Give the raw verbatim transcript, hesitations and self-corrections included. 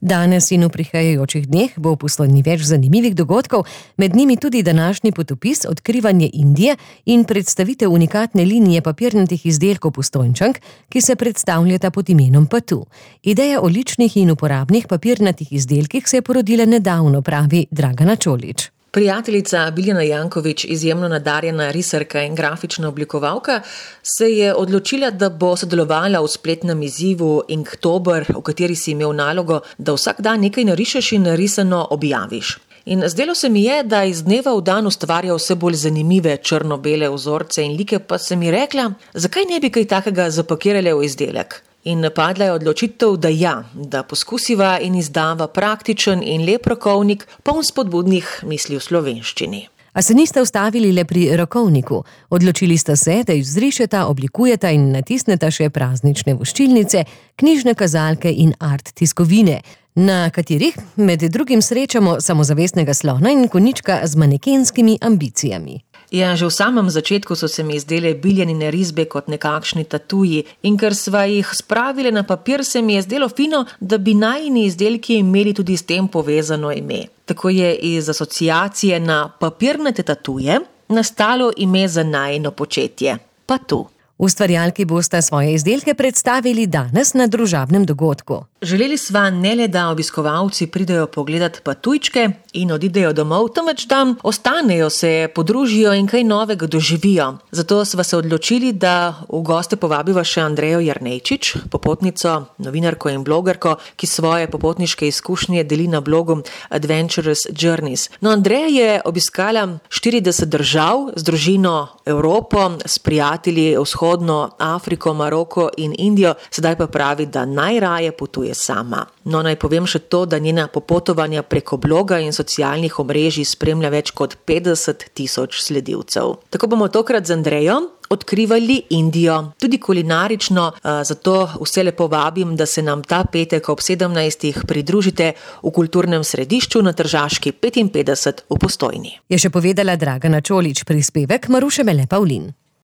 Danes in v prihajajočih dneh bo v Postojni več zanimivih dogodkov, med njimi tudi današnji potopis Odkrivanje Indije in predstavitev unikatne linije papirnatih izdelkov Postojnčank, ki se predstavljata pod imenom Patu. Ideja o ličnih in uporabnih papirnatih izdelkih se je porodila nedavno, pravi Dragana Čolić. Prijateljica Biljana Janković, izjemno nadarjena risarka in grafična oblikovalka, se je odločila, da bo sodelovala v spletnem izzivu Inktober, v kateri si imel nalogo, da vsak dan nekaj narišeš in narisano objaviš. In zdelo se mi je, da iz dneva v dan ustvarja vse bolj zanimive črno-bele vzorce in like, pa sem ji rekla, zakaj ne bi kaj takega zapakirali v izdelek. In napadla je odločitev, da ja, da poskusiva in izdava praktičen in lep rokovnik, poln spodbudnih misli v slovenščini. A se niste ustavili le pri rokovniku. Odločili sta se, da izrišeta, oblikujeta in natisneta še praznične voščilnice, knjižne kazalke in art tiskovine, na katerih med drugim srečamo samozavestnega slona in konjička z manekenskimi ambicijami. Ja, že v samem začetku so se mi izdele Biljanine risbe kot nekakšni tatuji in ker sva jih spravile na papir, se mi je zdelo fino, da bi najini izdelki imeli tudi s tem povezano ime. Tako je iz asociacije na papirnate tatuje nastalo ime za najino početje – Patu. Ustvarjalki bosta svoje izdelke predstavili danes na družabnem dogodku. Želeli sva ne le, da obiskovalci pridejo pogledat patujčke in odidejo domov, temveč da ostanejo, se podružijo in kaj novega doživijo. Zato sva se odločili, da v goste povabiva še Andrejo Jernejčič, popotnico, novinarko in blogerko, ki svoje popotniške izkušnje deli na blogu Adventurous Journeys. No, Andreja je obiskala štirideset držav z družino Evropo, s prijatelji vzhodno Afriko, Maroko in Indijo, sedaj pa pravi, da najraje potuje sama. No, naj povem še to, da njena popotovanja preko bloga in socialnih omrežij spremlja več kot petdeset tisoč sledilcev. Tako bomo tokrat z Andrejo odkrivali Indijo, tudi kulinarično, zato vse lepo vabim, da se nam ta petek ob sedemnajstih pridružite v kulturnem središču na Tržaški petinpetdeset v Postojni. Je še povedala Dragana Čolić, prispevek Maruše Mele Pavlin.